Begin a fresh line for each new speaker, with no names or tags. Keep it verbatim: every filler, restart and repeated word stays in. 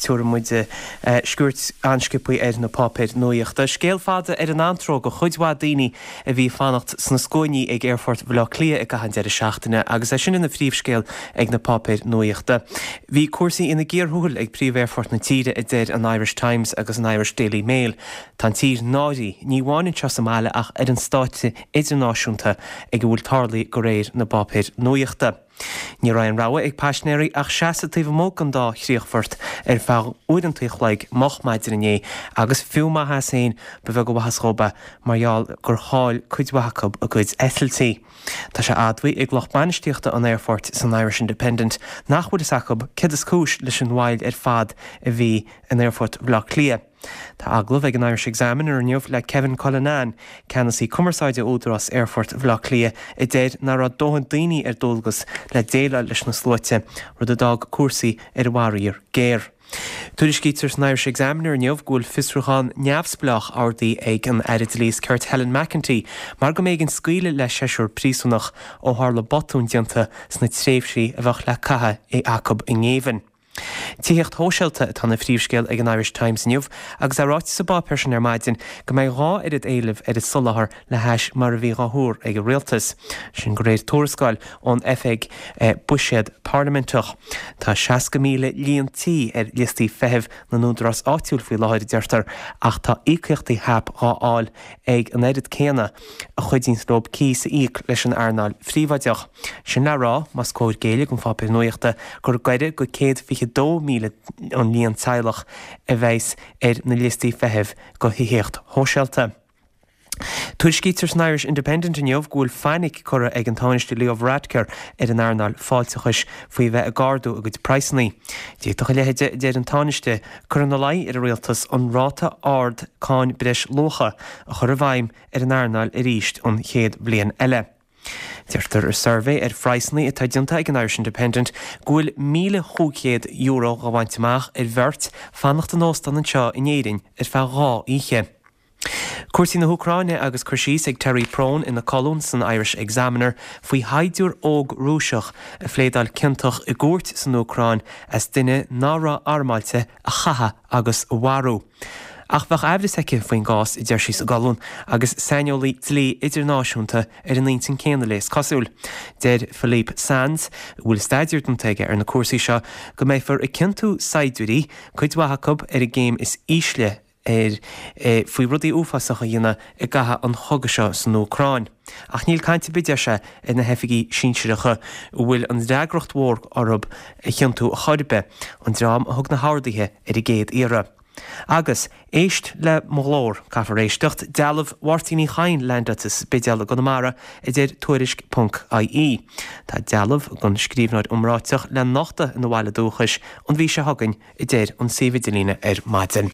tabharfaidh muid sciuird an-sciobtha ar na páipéir nuachta. Scéal fada ar an antró do chuid mhaith daoine a bhí ag fanacht sna scuainí ag Aerfort Bhaile Átha Cliath i gcaitheamh an deireadh seachtaine agus é sin ina phríomhscéal ag na páipéir nuachta. Bhí cúrsaí ina gcíor thuathail ag príomh-aerfort na tíre a deir an Irish Times agus an Irish Daily Mail. Tá an tír náirithe, ní amháin anseo sa mbaile ach ar an stáitse idirnáisiúnta ag a bhfuil tarlaithe de réir na bpáipéir nuachta. Ní raibh aon rogha ag paisinéirí ach seasamh taobh amuigh den dá chríochfort ar feadh uaireanta an chloig moch maidin inné agus fiú maith as féin ba bheag an mhaitheas dhóibh é mar gheall gur chaill cuid mhaith acu a gcuid eitiltí. Tá sé admhaithe ag lucht bainistíochta an aerfoirt san Irish Independent nach bhfuil fhios acu céard is cúis leis an mhoill ar fad a bhí in Aerfort Bhaile Átha Cliath. Tá agallamh ag an Irish Examiner inniu le Kevin Cullinan, ceannasaí cumarsáide Údarás Aerfort Bhaile Átha Cliath a deir nach raibh dóthain daoine ar dualgas le déileáil leis na sluaite, rud a d'fhág cúrsaí ar an bhfaraor géar. Tuairiscítear san Irish Examiner inniu go bhfuil fiosrúchán neamhspleách ordaithe ag an Aire Dlí is Cirt Helen McEntee mar go mb'éigean scaoileadh le seisear príosúnach ó tharla botún déanta sna tréimhsí a bheadh le caitheamh acu i ngéibheann. Tithíocht shóisialta atá ina phríomhscéal ag an Irish Times inniu agus é ráite sa bpáipéar sin ar maidin go mbeidh dhá oiread éilimh ar an soláthar le hais mar a bhí á thuar ag an rialtas. Sin de réir tuarascáil ón Oifig Buiséad Parlaiminteach. Tá seasca míle líon tí ar liostaí feithimh na n-údarás áitiúil faoi láthair deirtear ach tá íocaíochtaí HAP á fháil ag an oiread céanna a chuidíonn leo cíos a íoc leis an earnáil phríobháideach. Sin le rá más cóir géilleadh don pháipéar nuachta gur gaire do céad fiche dó míle an líon teaghlach a bheas ar na liostaí feithimh do thithíocht shóisialta. Tuairiscítear san Irish Independent inniu go bhfuil fainic curtha ag an Tánaiste Leo Varadkar ar an earnáil fáilteachais faoi bheith ag ardú a gcuid praghsanna. D'fhéadfadh a leithéid a deir an Tánaiste cur ina luí ar an rialtas an ráta ard cáin breis luacha a chur i bhfeidhm ar an earnáil arís an chéad bhliain eile. Deirtear i suirbhé ar phraghsanna atá déanta ag an Irish Independent go bhfuil míle chúig chéad euro á bhaint amach ar bheirt fanacht in óstán anseo in Éirinn ar feadh dhá oíche. Cúrsaí na hÚcráine agus cur síos ag Terry Prone ina colún san Irish Examiner faoi shaighdiúir óg Rúiseach a phléadáil ciontach i gcúirt san Úcráin as duine nach raibh armáilte a chathú agus a mharú. Ach bheadh aimhreas aici faoin gcás a deir sí sa gcolún agus saineolaí dlí idirnáisiúnta ar an intinn céanna léi is cosúil. Deir Philippe Sands, bhfuil staidéar déanta aige ar na cúrsaí seo go mbeifear ag ciontú saighdiúirí cuid mhaith acu ar an gcéim is ísle ar faoi rudaí uafásacha a dhéanamh i gcaitheamh an chogaidh seo san Úcráin. Ach níl caint ar bith deir sé ar na hoifigigh sinsearacha a bhfuil an fhreagracht mhór orthu a chiontú ar chor ar bith, an dream a thug na horduithe ar an gcéad iarraidh. Agus éist le mo ghlór caithfear éisteacht dealbh Mháirtín Uí Chadhain leaindeáilte sa Spidéal i gConamara a deir tuairisc ponc IE. Tá dealbh den scríbhneoir iomráiteach le nochtadh ina bhaile dúchais an mhí seo chugainn a deir an suíomh idirlíne ar maidin.